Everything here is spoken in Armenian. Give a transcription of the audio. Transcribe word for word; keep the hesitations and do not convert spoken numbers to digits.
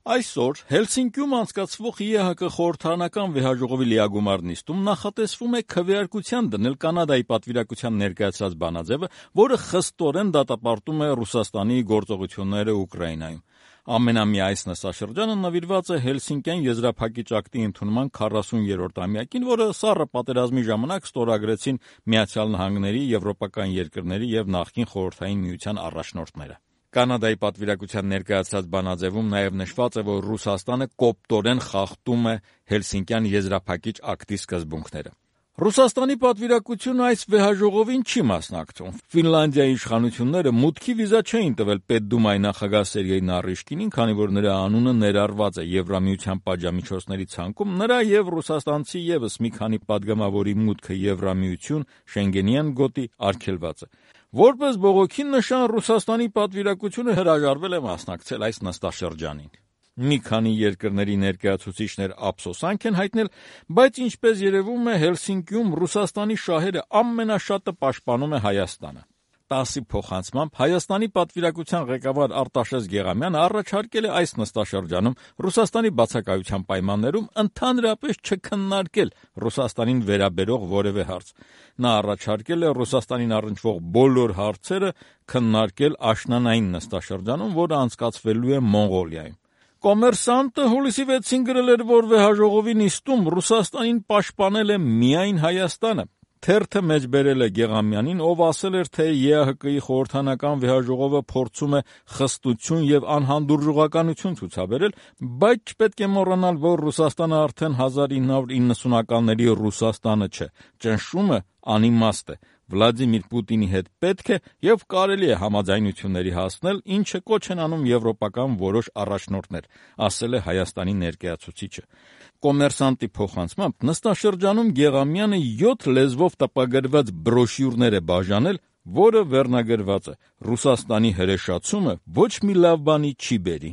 Այսօր Հելսինկիում անցկացվող ԵՀԿ խորհրդարանական վեհաժողովի լիագումար նիստում նախատեսվում է քվեարկության դնել Կանադայի պատվիրակության ներկայացրած բանաձևը, որը խստորեն դատապարտում է Ռուսաստանի գործողությունները Ուկրաինայում։ Ամենամյա այս նստաշրջանը նվիրված է Հելսինկյան եզրափակիչ ակտի ընդունման քառասուներորդ ամյակին, որը սառը պատերազմի ժամանակ ստորագրեցին Միացյալ Նահանգների, եվրոպական երկրների եւ նախկին Խորհրդային Միության առաջնորդները։ Կանադայի պատվիրակության ներկայացրած բանաձևում նաև նշված է, որ Ռուսաստանը կոպտորեն խախտում է Հելսինկյան եզրափակիչ ակտի սկզբունքները։ Ռուսաստանի պատվիրակությունը այս վեհաժողովին չի մասնակցում։ Ֆինլանդիայի իշխանությունները մուտքի վիզա չէին տվել Պետդումայի նախագահ Սերգեյ Նարիշկինին, քանի որ նրա անունը ներառված է Եվրամիության պատժամիջոցների ցանկում, նրա եւ ռուսաստանցի եւս մի քանի падգամավորի մուտքը Եվրամիություն, Շենգենյան գոտի արգելված է։ Որպես բողոքի նշան Ռուսաստանի պատվիրակությունը հրաժարվել է մասնակցել այս նստաշրջանին։ Մի քանի երկրների ներկայացուցիչներ ափսոսանք են հայտնել, բայց ինչպես երևում է Հելսինկիում Ռուսաստանի շահերը ամենաշատը պաշտպանում է Հայաստանը։ տասի փոխանցմամբ Հայաստանի պատվիրակության ղեկավար Արտաշես Գեղամյանը առաջարկել է այս նստաշրջանում Ռուսաստանի բացակայության պայմաններում ընդհանրապես չքննարկել Ռուսաստանին վերաբերող որևէ հարց։ Նա առաջարկել է Ռուսաստանին առնչվող բոլոր հարցերը քննարկել աշնանային նստաշրջանում, որը անցկացվելու է Մոնղոլիայում։ Կոմերսանտը հուլիսի վեցին գրել էր, որ վեհաժողովի նիստում Ռուսաստանին պաշտպանել է միայն Հայաստանը։ Թերթը մեջբերել է Գեղամյանին, ով ասել էր, թե ԵԱՀԿ-ի խորհրդարանական վեհաժողովը փորձում է խստություն եւ անհանդուրժողականություն ցուցաբերել, բայց չպետք է մոռանալ, որ Ռուսաստանը արդեն հազար ինը հարյուր իննսունականների Ռուսաստանը չէ։ Ճնշումը անիմաստ է։ Վլադիմիր Պուտինի հետ պետք է եւ կարելի է համաձայնությունների հասնել, ինչը կոչ են անում եվրոպական որոշ առաջնորդներ, ասել է Հայաստանի ներկայացուցիչը։ Կոմերսանտի փոխանցմամբ նստաշրջանում Գեղամյանը յոթ լեզվով տպագրված բրոշյուրներ է բաժանել, որը վերնագրված է. «Ռուսաստանի հրեշացումը ոչ մի լավ բանի չի բերի»։